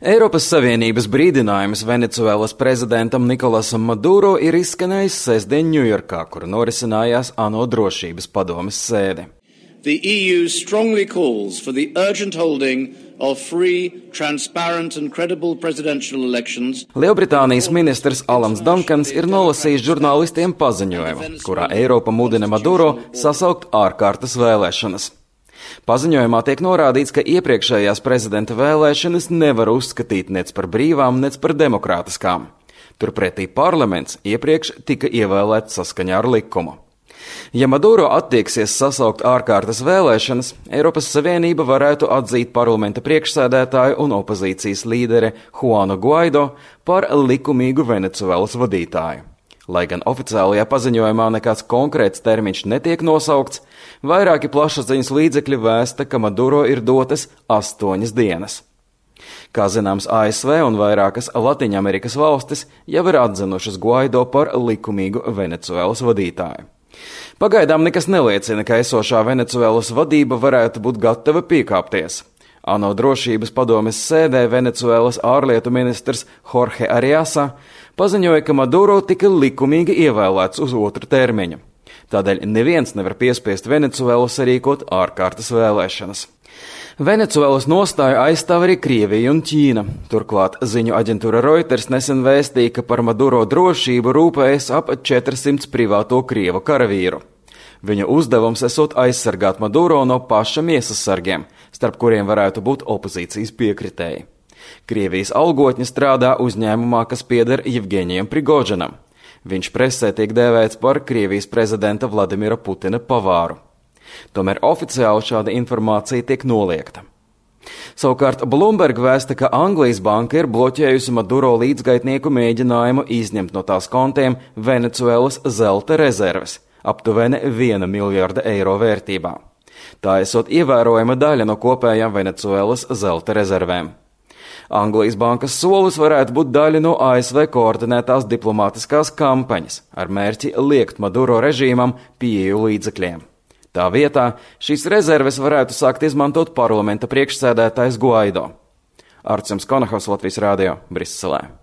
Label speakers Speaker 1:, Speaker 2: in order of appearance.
Speaker 1: Eiropas Savienības brīdinājums Venecuēlas prezidentam Nikolasam Maduro ir izskanējis sestdien Ņujorkā, kur norisinājās ANO drošības padomes sēde.
Speaker 2: The EU strongly calls for the urgent holding of free, transparent and credible presidential elections.
Speaker 1: Lielbritānijas ministrs Alans Dankans ir nolasījis žurnālistiem paziņojumu, kurā Eiropa mudina Maduro sasaukt ārkārtas vēlēšanas. Paziņojumā tiek norādīts, ka iepriekšējās prezidenta vēlēšanas nevar uzskatīt nec par brīvām, nec par demokrātiskām. Turpretī parlaments iepriekš tika ievēlēts saskaņā ar likumu. Ja Maduro attieksies sasaukt ārkārtas vēlēšanas, Eiropas Savienība varētu atzīt parlamenta priekšsēdētāju un opozīcijas līderi Juanu Guaido par likumīgu Venecuēlas vadītāju. Lai gan oficiālajā paziņojumā nekāds konkrēts termiņš netiek nosaukts, vairāki plašsaziņas līdzekļi vēsta, ka Maduro ir dotas 8 dienas. Kā zināms, ASV un vairākas Latviņamerikas valstis jau ir atzinušas Guaido par likumīgu Venecuēlas vadītāju. Pagaidām nekas neliecina, ka esošā Venecuēlas vadība varētu būt gatava piekāpties. ANO drošības padomes sēdē Venecuēlas ārlietu ministrs Jorge Ariasa paziņoja, ka Maduro tika likumīgi ievēlēts uz 2. termiņu. Tādēļ neviens nevar piespiest Venecuēlu sarīkot ārkārtas vēlēšanas. Venecuēlas nostāju aizstāv arī Krievija un Ķīna. Turklāt ziņu aģentūra Reuters nesen vēstīja, ka par Maduro drošību rūpējas ap 400 privāto krievu karavīru. Viņu uzdevums esot aizsargāt Maduro no paša miesasargiem, starp kuriem varētu būt opozīcijas piekritēji. Krievijas algotņi strādā uzņēmumā, kas pieder Jevgeņijam Prigožinam. Viņš presē tiek dēvēts par Krievijas prezidenta Vladimira Putina pavāru. Tomēr oficiāli šāda informācija tiek noliegta. Savukārt Bloomberg vēsta, ka Anglijas banka ir bloķējusi Maduro līdzgaitnieku mēģinājumu izņemt no tās kontiem Venecuēlas zelta rezerves, aptuveni 1 miljarda eiro vērtībā. Tā esot ievērojama daļa no kopējām Venecuēlas zelta rezervēm. Anglijas bankas solis varētu būt daļa no ASV koordinētās diplomātiskās kampaņas ar mērķi liekt Maduro režīmam pieeju līdzekļiem. Tā vietā šīs rezerves varētu sākt izmantot parlamenta priekšsēdētājs Guaido. Artjums Konahovs, Latvijas radio, Briselē.